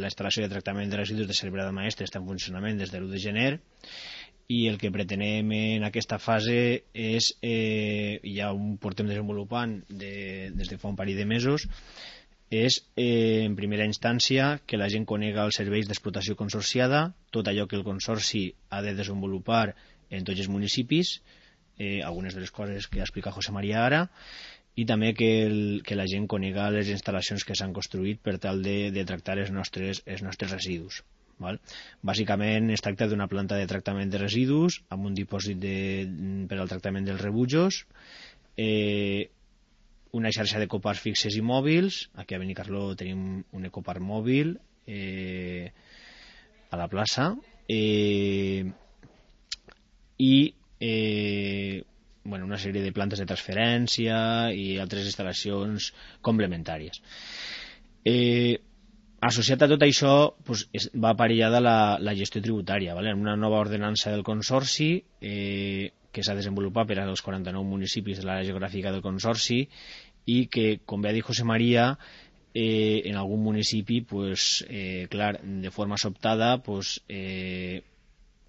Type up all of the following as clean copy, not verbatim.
la instal·lació de tractament de residus de Cervera de Maestre està en funcionament des de l'1 de gener i el que pretenem en aquesta fase és, ja ho portem desenvolupant des de fa un parell de mesos, és en primera instància que la gent conega els serveis d'explotació consorciada, tot allò que el consorci ha de desenvolupar en tots els municipis, algunes de les coses que ha explicat José María ara, i també que la gent conega les instal·lacions que s'han construït per tal de tractar els nostres residus. Val? Bàsicament es tracta d'una planta de tractament de residus amb un dipòsit per al tractament dels rebutjos, una xarxa d'ecopars fixes i mòbils. Aquí a Benicarló tenim un ecopar mòbil a la plaça, i una sèrie de plantes de transferència i altres instal·lacions complementàries. Associat a tot això va aparellada la gestió tributària, en una nova ordenança del Consorci que s'ha desenvolupat per als 49 municipis de l'àrea geogràfica del Consorci i que, com bé ha dit José María, en algun municipi, clar, de forma sobtada,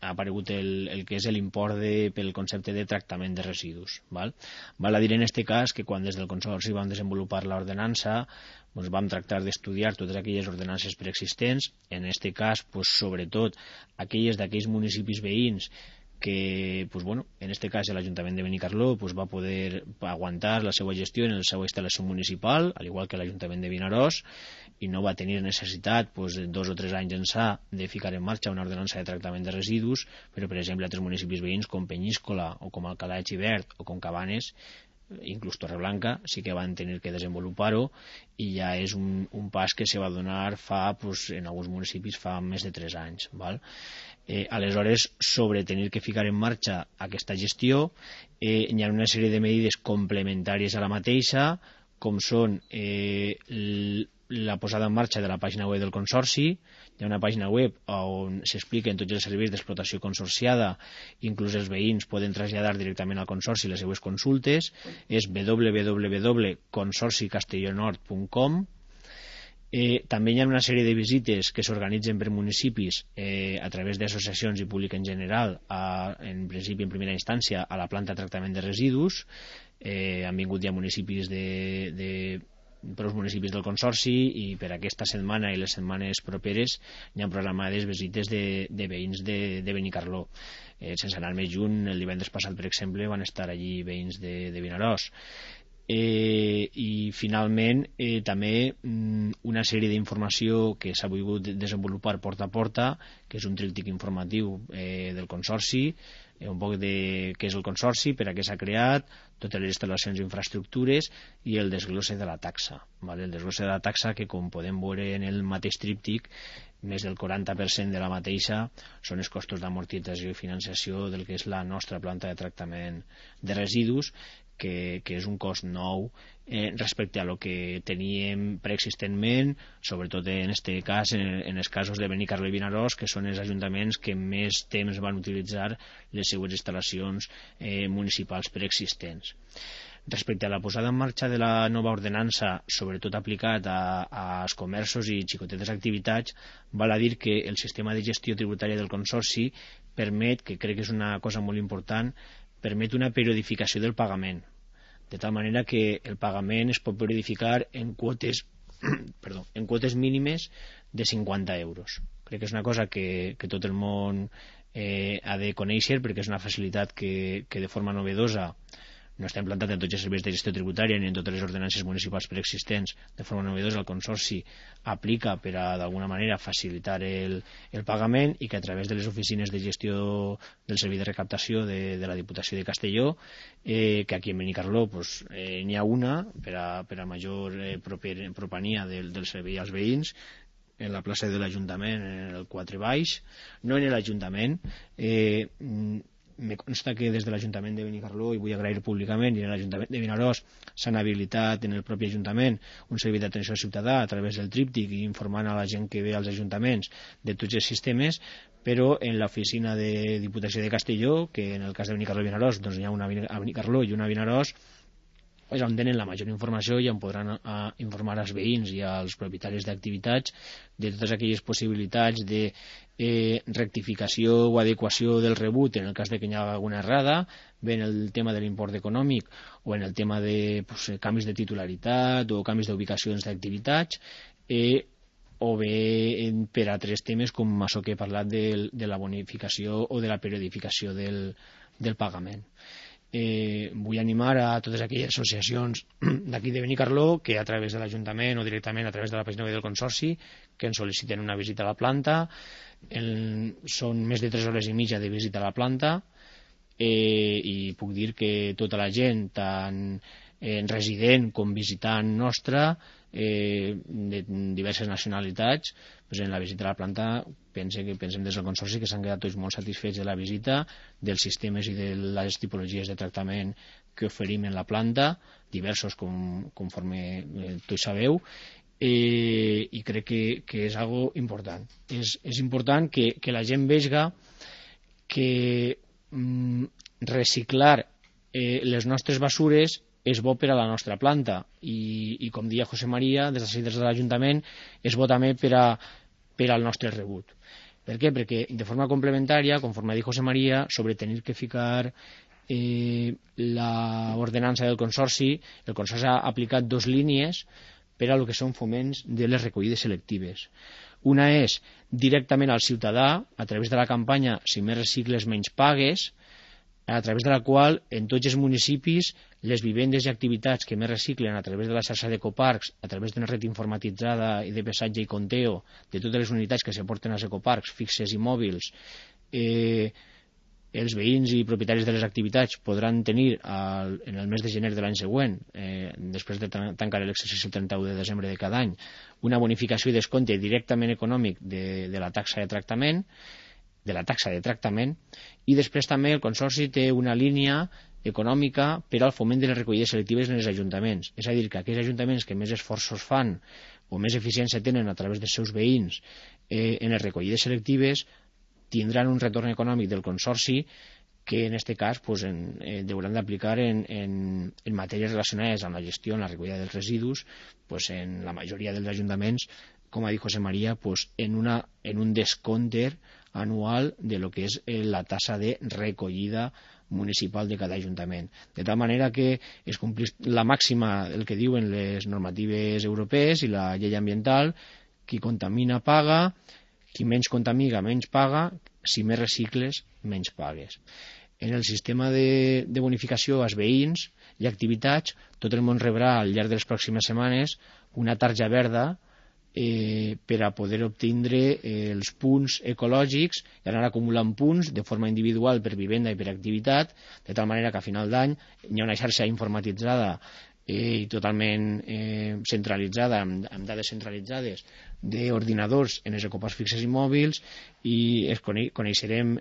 ha aparegut el que és l'import pel concepte de tractament de residus. Val a dir en aquest cas que quan des del Consorci vam desenvolupar l'ordenança vam tractar d'estudiar totes aquelles ordenances preexistents, en aquest cas sobretot aquelles d'aquells municipis veïns que, en aquest cas l'Ajuntament de Benicarló va poder aguantar la seva gestió en la seva instal·lació municipal, al igual que l'Ajuntament de Vinaròs, i no va tenir necessitat 2 o 3 anys ençà de ficar en marxa una ordenança de tractament de residus, però per exemple altres municipis veïns com Penyíscola o com Alcalà de Xivert o com Cabanes, inclús Torreblanca, sí que van tenir que desenvolupar-ho, i ja és un pas que se va donar en alguns municipis fa més de 3 anys. Aleshores, sobre tenir que ficar en marxa aquesta gestió, hi ha una sèrie de mesures complementàries a la mateixa, com són la posada en marxa de la pàgina web del Consorci. Hi ha una pàgina web on s'expliquen tots els serveis d'explotació consorciada, inclús els veïns poden traslladar directament al Consorci les seues consultes, és www.consorcicastellonord.com. També hi ha una sèrie de visites que s'organitzen per municipis a través d'associacions i públic en general, en principi en primera instància a la planta de tractament de residus. Han vingut ja municipis prou municipis del Consorci, i per aquesta setmana i les setmanes properes hi ha programades visites de veïns de Benicarló. Sense anar més lluny, el divendres passat, per exemple, van estar allí veïns de Vinaròs. I finalment també una sèrie d'informació que s'ha volgut desenvolupar porta a porta, que és un tríptic informatiu del Consorci, un poc de què és el Consorci, per a què s'ha creat, totes les instal·lacions i infraestructures, i el desglosse de la taxa. El desglosse de la taxa, que com podem veure en el mateix tríptic, més del 40% de la mateixa són els costos d'amortització i financiació del que és la nostra planta de tractament de residus, que és un cost nou respecte a lo que teníem preexistentment, sobretot en aquest cas, en els casos de Benicarló i Vinaròs, que són els ajuntaments que més temps van utilitzar les seues instal·lacions municipals preexistents. Respecte a la posada en marxa de la nova ordenança, sobretot aplicat als comerços i xicotetes activitats, val a dir que el sistema de gestió tributària del Consorci permet, que crec que és una cosa molt important, permet una periodificació del pagament, de tal manera que el pagament es pot periodificar en quotes mínimes de 50 euros. Crec que és una cosa que tot el món ha de conèixer, perquè és una facilitat que de forma novedosa no està implantat en tots els serveis de gestió tributària ni en totes les ordenances municipals preexistents. De forma novedosa el Consorci aplica per a d'alguna manera facilitar el pagament, i que a través de les oficines de gestió del servei de recaptació de la Diputació de Castelló, que aquí en Benicarló n'hi ha una per a major propania del servei als veïns, en la plaça de l'Ajuntament, en el 4 baix, no en l'Ajuntament. Me consta que des de l'Ajuntament de Benicarló, i vull agrair públicament, i en l'Ajuntament de Vinaròs s'han habilitat en el propi Ajuntament un servei d'atenció al ciutadà a través del tríptic, i informant a la gent que ve als ajuntaments de tots els sistemes, però en l'oficina de Diputació de Castelló, que en el cas de Benicarló i Vinaròs n'hi ha una a Benicarló i una a Vinaròs, és on tenen la major informació i on podran informar als veïns i als propietaris d'activitats de totes aquelles possibilitats de rectificació o adequació del rebut en el cas de que hi hagi alguna errada, bé en el tema de l'import econòmic o en el tema de canvis de titularitat o canvis d'ubicacions d'activitats, o bé per altres temes com això que he parlat de la bonificació o de la periodificació del pagament. Vull animar a totes aquelles associacions d'aquí de Benicarló que a través de l'Ajuntament o directament a través de la pàgina web del Consorci que ens sol·liciten una visita a la planta. Són més de 3 hores i mitja de visita a la planta, i puc dir que tota la gent, tant resident com visitant nostra, de diverses nacionalitats, en la visita a la planta pensem des del Consorci que s'han quedat tots molt satisfets de la visita, dels sistemes i de les tipologies de tractament que oferim en la planta, diversos conforme tots sabeu, i crec que és algo important. És important que la gent vegi que reciclar les nostres basures és bo per a la nostra planta i com deia José María, des de l'Ajuntament és bo també per al nostre rebut. Per què? Perquè de forma complementària, conforme ha dit José María, sobre tenir que ficar l'ordenança del Consorci, el Consorci ha aplicat 2 línies per a lo que són foments de les recollides selectives. Una és directament al ciutadà, a través de la campanya Si més recicles menys pagues, a través de la qual en tots els municipis les vivendes i activitats que més reciclen a través de la xarxa d'ecoparcs, a través d'una red informatitzada i de pesatge i conteo de totes les unitats que s'aporten als ecoparcs fixes i mòbils, els veïns i propietaris de les activitats podran tenir en el mes de gener de l'any següent, després de tancar l'exercici el 31 de desembre de cada any, una bonificació i descompte directament econòmic de la taxa de tractament, i després també el Consorci té una línia econòmica per al foment de les recollides selectives en els ajuntaments. És a dir, que aquells ajuntaments que més esforços fan o més eficiència tenen a través dels seus veïns en les recollides selectives tindran un retorn econòmic del Consorci que en aquest cas hauran d'aplicar en matèries relacionades amb la gestió, en la recollida dels residus, en la majoria dels ajuntaments, com ha dit José María, en un descompte anual de lo que és la tassa de recollida municipal de cada ajuntament. De tal manera que es complís la màxima, el que diuen les normatives europees i la llei ambiental: qui contamina paga, qui menys contamina menys paga, si més recicles menys pagues. En el sistema de bonificació als veïns i activitats, tot el món rebrà al llarg de les pròximes setmanes una tarja verda per a poder obtindre els punts ecològics i anar acumulant punts de forma individual per vivenda i per activitat, de tal manera que a final d'any hi ha una xarxa informatitzada i totalment centralitzada, amb dades centralitzades d'ordinadors en els ecoparcs fixes i mòbils, i coneixerem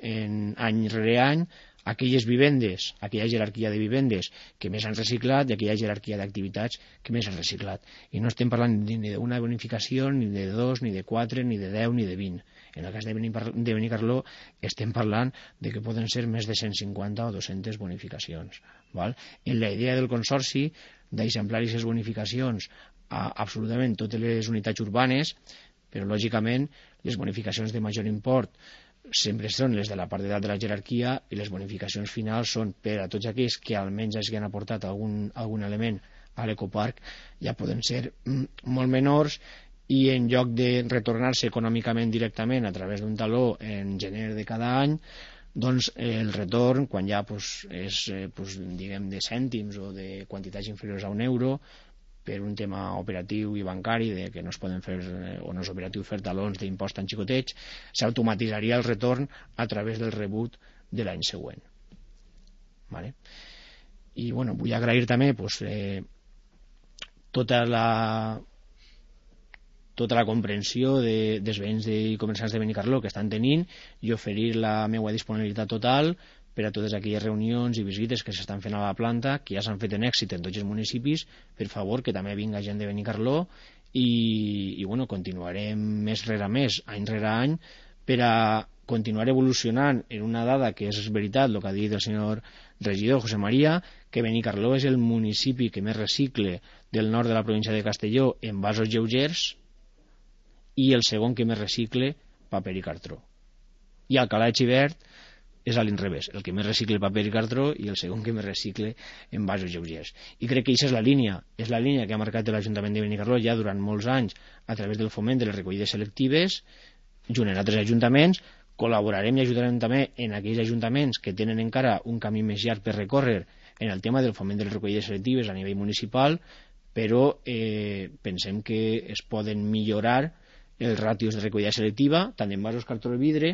any rere any aquelles vivendes, aquella jerarquia de vivendes que més han reciclat i aquella jerarquia d'activitats que més han reciclat. I no estem parlant ni d'una bonificació, ni de 2, ni de 4, ni de 10, ni de 20. En el cas de Benicarló estem parlant de que poden ser més de 150 o 200 bonificacions. En la idea del Consorci d'eixamplar aquestes bonificacions a absolutament totes les unitats urbanes, però lògicament les bonificacions de major import sempre són les de la part de dalt de la jerarquia i les bonificacions finals són per a tots aquells que almenys hagin aportat algun element a l'ecoparc, ja poden ser molt menors, i en lloc de retornar-se econòmicament directament a través d'un taló en gener de cada any, doncs el retorn, quan ja és diguem de cèntims o de quantitats inferiors a €1, per un tema operatiu i bancari de que no es poden fer o no és operatiu fer talons d'impost tan xicotets, s'automatitzaria el retorn a través del rebut de l'any següent. I vull agrair també tota la comprensió dels veïns i comerciants de Benicarló que estan tenint i oferir la meva disponibilitat total per a totes aquelles reunions i visites que s'estan fent a la planta, que ja s'han fet en èxit en tots els municipis. Per favor, que també vinga gent de Benicarló i continuarem mes rere mes, any rere any, per a continuar evolucionant en una dada que és veritat, el que ha dit el senyor regidor José María, que Benicarló és el municipi que més recicle del nord de la província de Castelló en vasos lleugers i el segon que més recicle paper i cartró. I Alcalá de Xivert és a l'inrevés, el que més recicle paper i cartró i el segon que més recicle en vasos lleugers. I crec que aquesta és la línia que ha marcat l'Ajuntament de Benicarló ja durant molts anys a través del foment de les recollides selectives, junt amb altres ajuntaments. Col·laborarem i ajudarem també en aquells ajuntaments que tenen encara un camí més llarg per recórrer en el tema del foment de les recollides selectives a nivell municipal, però pensem que es poden millorar els ràtios de recollida selectiva, tant en vasos cartró i vidre,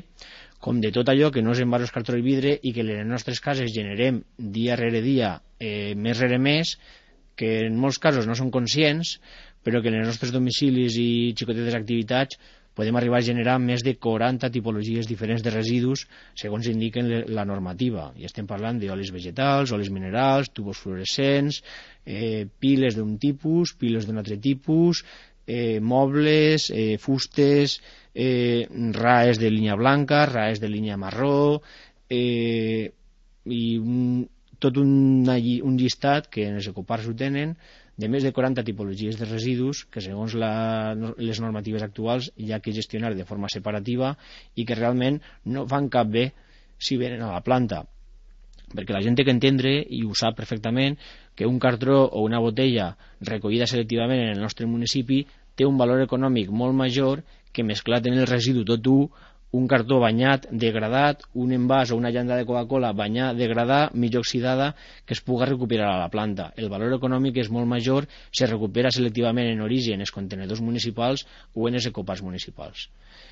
com de tot allò que no és en vasos cartró i vidre i que en les nostres cases generem dia rere dia, mes rere mes, que en molts casos no són conscients, però que en els nostres domicilis i xicotetes activitats podem arribar a generar més de 40 tipologies diferents de residus segons indiquen la normativa. I estem parlant d'olis vegetals, olis minerals, tubos fluorescents, piles d'un tipus, piles d'un altre tipus, mobles, fustes, raes de línia blanca, raes de línia marró, i tot un llistat que en els ecopars ho tenen de més de 40 tipologies de residus que segons les normatives actuals hi ha que gestionar de forma separativa i que realment no fan cap bé si venen a la planta, perquè la gent té que entendre, i ho sap perfectament, que un cartró o una botella recollida selectivament en el nostre municipi té un valor econòmic molt major que mesclat en el residu tot un cartó banyat, degradat, un envàs o una llanda de Coca-Cola banyat, degradat, mig oxidada, que es pugui recuperar a la planta. El valor econòmic és molt major si es recupera selectivament en origen els contenedors municipals o en els ecopars municipals.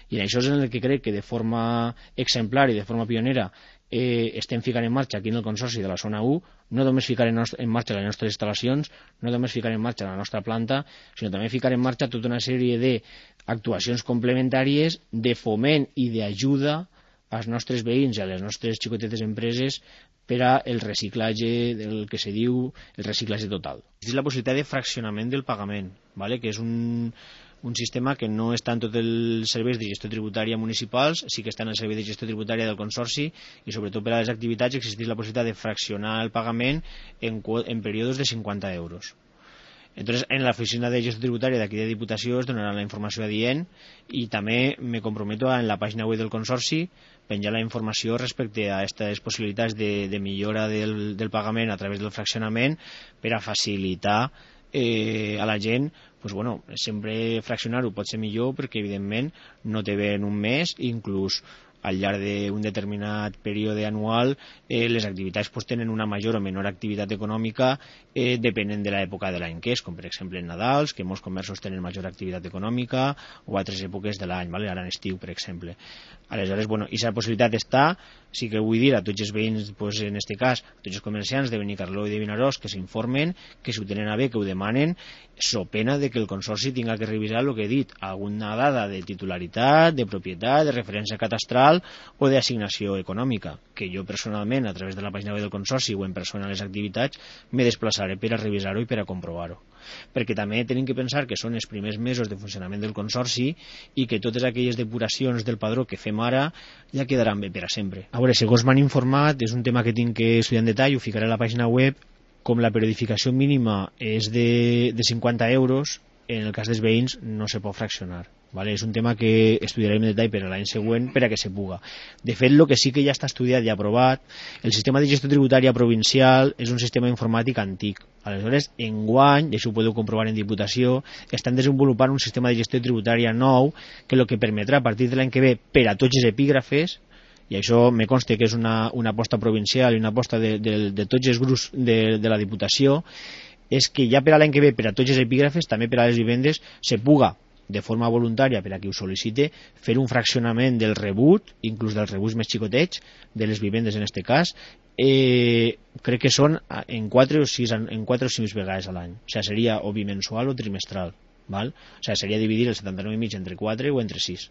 I això és en el que crec que de forma exemplar i de forma pionera estem ficant en marxa aquí en el Consorci de la Zona 1, no només ficar en marxa les nostres instal·lacions, no només ficar en marxa la nostra planta, sinó també ficar en marxa tota una sèrie d'actuacions complementàries de foment i d'ajuda als nostres veïns i a les nostres xicotetes empreses per a el reciclatge del que se diu el reciclatge total. És la possibilitat de fraccionament del pagament, ¿vale? Que és un sistema que no està en tots els serveis de gestió tributària municipals, sí que està en el servei de gestió tributària del Consorci, i sobretot per a les activitats existeix la possibilitat de fraccionar el pagament en períodes de 50 euros. Entonces, en la oficina de gestió tributària d'aquí de Diputació es donarà la informació adient i també me comprometo en la pàgina web del Consorci penjar la informació respecte a aquestes possibilitats de millora del pagament a través del fraccionament per a facilitar a la gent, pues bueno, sempre fraccionar-ho pot ser millor perquè evidentment no té bé en un mes, inclús al llarg d'un determinat període anual les activitats pues, tenen una major o menor activitat econòmica depenent de l'època de l'any que és, com per exemple en Nadals, que molts comerços tenen major activitat econòmica, o altres èpoques de l'any, ¿vale? Ara en estiu, per exemple. Aleshores, bueno, aquesta possibilitat està, sí que vull dir a tots els veïns, pues, en aquest cas, a tots els comerciants de Benicarló i de Vinaròs que s'informen, que si ho tenen a bé, que ho demanen, so pena de que el Consorci tinga que revisar el que he dit, alguna dada de titularitat, de propietat, de referència catastral o d'assignació econòmica, que jo personalment, a través de la pàgina web del Consorci o en persona a les activitats, me desplaçaré per a revisar-ho i per a comprovar-ho. Perquè també tenim que pensar que són els primers mesos de funcionament del Consorci i que totes aquelles depuracions del padró que fem ara ja quedaran bé per a sempre. A veure, segons m'han informat, és un tema que tinc que estudiar en detall, ho ficaré a la pàgina web, com la periodificació mínima és de 50 euros, en el cas dels veïns no se pot fraccionar. Vale? És un tema que estudiarem en detall per a l'any següent per a que se puga. De fet, el que sí que ja està estudiat i aprovat, el sistema de gestió tributària provincial és un sistema informàtic antic. Aleshores, enguany, i això ho podeu comprovar en Diputació, estan desenvolupant un sistema de gestió tributària nou que el que permetrà a partir de l'any que ve per a tots els epígrafes, i això me consta que és una aposta provincial i una aposta de tots els grups de la Diputació, és que ja per a l'any que ve per a tots els epígrafes, també per a les vivendes, se puga de forma voluntària per a qui ho sol·licite fer un fraccionament del rebut, inclús dels rebuts més xicotets de les vivendes en aquest cas, crec que són en 4 o 6 vegades a l'any, o sigui, seria o bimensual o trimestral, val? O sigui, seria dividir el 79,5 entre 4 o entre 6.